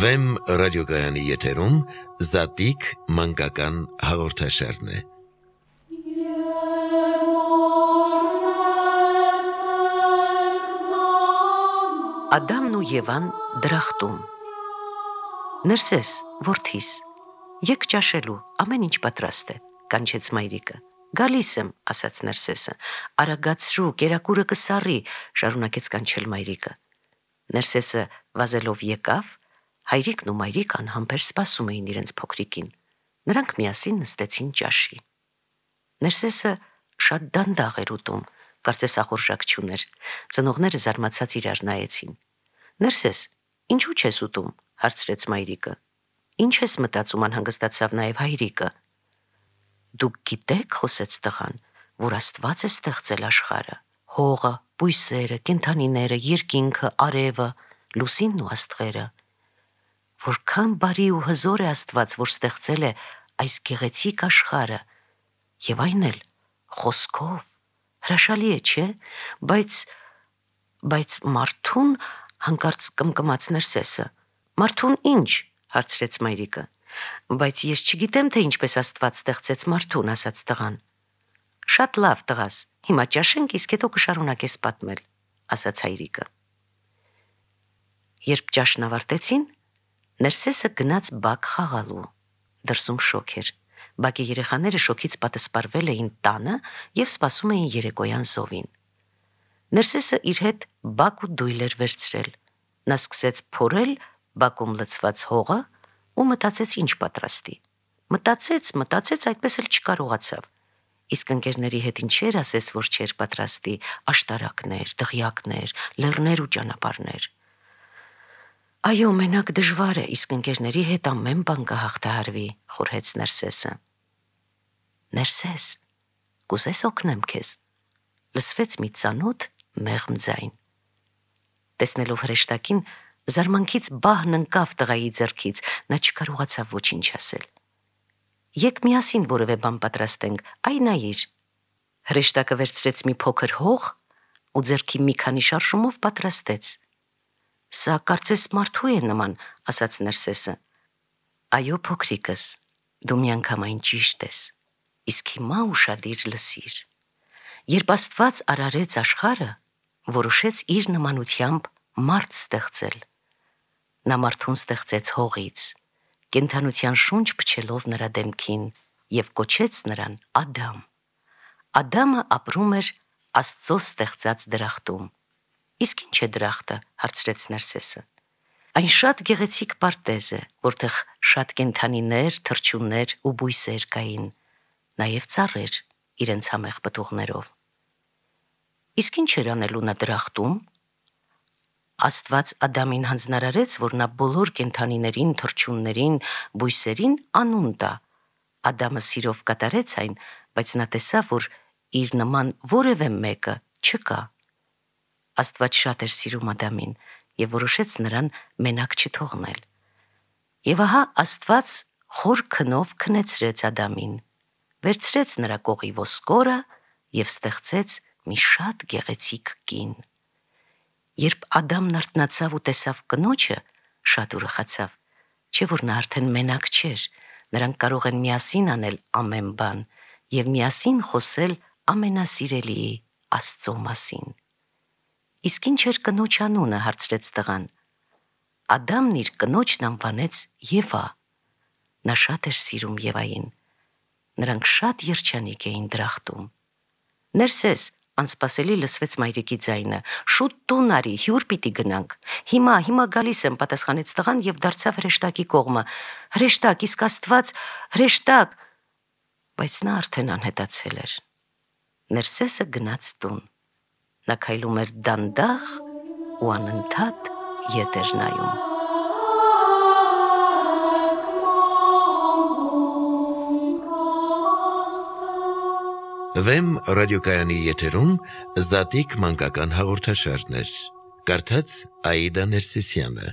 Վեմ ռադիոկայանի եթերում Զատիկ մանկական հաղորդաշարն է։ Ադամն ու Եվան դրախտում։ Ներսես, որդիս, եկ ճաշելու, ամեն ինչ պատրաստ է, կանչեց մայրիկը։ Գալիս եմ, ասաց Ներսեսը, արագացրու, կերակուրը կսառի, շարունակեց կանչել մայրիկը։ Ներսեսը վազելով եկավ, հայրիկն ու մայրիկը անհամբեր սպասում էին իրենց փոքրիկին։ Նրանք միասին նստեցին ճաշի։ Ներսեսը շատ դանդաղ էր ուտում, կարծես ախորժակ չուներ։ Ծնողները զարմացած իրար նայեցին։ Ներսես, ինչու չես ուտում, հարցրեց մայրիկը։ Ինչ ես մտածում, անհանգստացավ նաև հայրիկը։ Դուք գիտեք, խոսեց տղան, որ Աստված է ստեղծել աշխարհը, հողը, բույսերը, կենդանիները, երկինքը, արևը, լուսինն ու աստղերը։ Որքան բարի ու հզոր է Աստված, որ ստեղծել է այս գեղեցիկ աշխարհը, եւ այն էլ խոսքով, հրաշալի է, չէ՞, բայց մարդուն, հանկարծ կմկմաց Ներսեսը։ Մարդուն ինչ, հարցրեց մայրիկը։ Բայց ես չգիտեմ, թե ինչպես Աստված ստեղծեց մարդուն, ասաց տղան։ Շատ լավ, տղաս, հիմա ճաշենք, իսկ հետո կշարունակես պատմել, ասաց հայրիկը։ Երբ ճաշն ավարտեցին, Ներսեսը գնաց բակ խաղալու։ Դրսում շոգ էր։ Բակի երեխաները շոգից պատսպարվել էին տանը եւ սպասում էին երեկոյան զովին։ Ներսեսը իր հետ բակ ու դույլ էր վերցրել։ Նա սկսեց փորել բակում լցված հողը ու մտածեց ինչ պատրաստի։ Մտածեց, այդպես էլ չկարողացավ։ Իսկ ընկերների հետ ինչեր ասես, որ չէր պատրաստի, աշտարակներ, դղյակներ, լեռներ ու ճանապարհներ։ Այո, մենակ դժվար է, իսկ ընկերների հետ ամեն բան կհաղթահարվի, խորհեց Ներսեսը։ Ներսես, կուզես օգնեմ քեզ, լսվեց մի ծանոթ մեղմ ձայն։ Տեսնելով հրեշտակին, զարմանքից բահն ընկավ տղայի ձեռքից, նա չկարողացավ ոչինչ ասել։ Եկ միասին որևէ բան պատրաստենք, այ նայիր։ Հրեշտակը վերցրեց մի փոքր հող ու ձեռքի մի քանի շարժումով պատրաստեց։ Սա կարծես մարդու է նման, ասաց Ներսեսը։ Այո, փոքրիկս, դու միանգամայն ճիշտ ես, իսկ հիմա ուշադիր լսիր։ Երբ Աստված արարեց աշխարհը, որոշեց իր նմանությամբ մարդ ստեղծել։ Նա մարդուն ստեղծեց հողից, կենդանության շունչ փչելով նրա դեմքին եւ կոչեց նրան Ադամ։ Ադամը ապրում էր Աստծո ստեղծած դրախտում։ Իսկ ինչ է դրախտը, հարցրեց Ներսեսը։ Այն շատ գեղեցիկ պարտեզ է, որտեղ շատ կենդանիներ, թռչուններ ու բույսեր կային, նաև ծառեր իրենց համեղ պտուղներով։ Իսկ ինչ էր անելու նա դրախտում։ Աստված Ադամին հանձնարարեց, որ նա բոլոր կենդանիներին, թռչուններին, բույսերին անուն տա։ Ադամը սիրով կատարեց այն, բայց նա տեսավ, որ իր նման որևէ մեկը չկա։ Աստված շատ էր սիրում Ադամին եւ որոշեց նրան մենակ չթողնել։ Եվ ահա Աստված խոր քնով քնեցրեց Ադամին, վերցրեց նրա կողի ոսկորը եւ ստեղծեց մի շատ գեղեցիկ կին։ Երբ Ադամն արթնացավ ու տեսավ կնոջը, շատ ուրախացավ, չէ՞ որ նա արդեն մենակ չէր, նրանք կարող են միասին անել ամեն բան եւ միասին խոսել ամենասիրելիի Աստծո մասին։ Իսկ ինչ էր կնոջ անունը, հարցրեց տղան։ Ադամն իր կնոջն անվանեց Եվա։ Նա շատ էր սիրում Եվային։ Նրանք շատ երջանիկ էին դրախտում։ Ներսես, անսպասելի լսվեց մայրիկի ձայնը։ Շուտ տուն արի, հյուր պիտի գնանք։ Հիմա գալիս եմ, պատասխանեց տղան եւ դարձավ հրեշտակի կողմը։ Հրեշտակ, իսկ Աստված, հրեշտակ։ Բայց նա արդեն անհետացել էր։ Ներսեսը գնաց տուն։ Նա քայլում էր դանդաղ ու անընդհատ ետ էր նայում։ Վեմ ռադիոկայանի եթերում Զատիկ մանկական հաղորդաշարներ։ Կարդաց Աիդա Ներսիսյանը։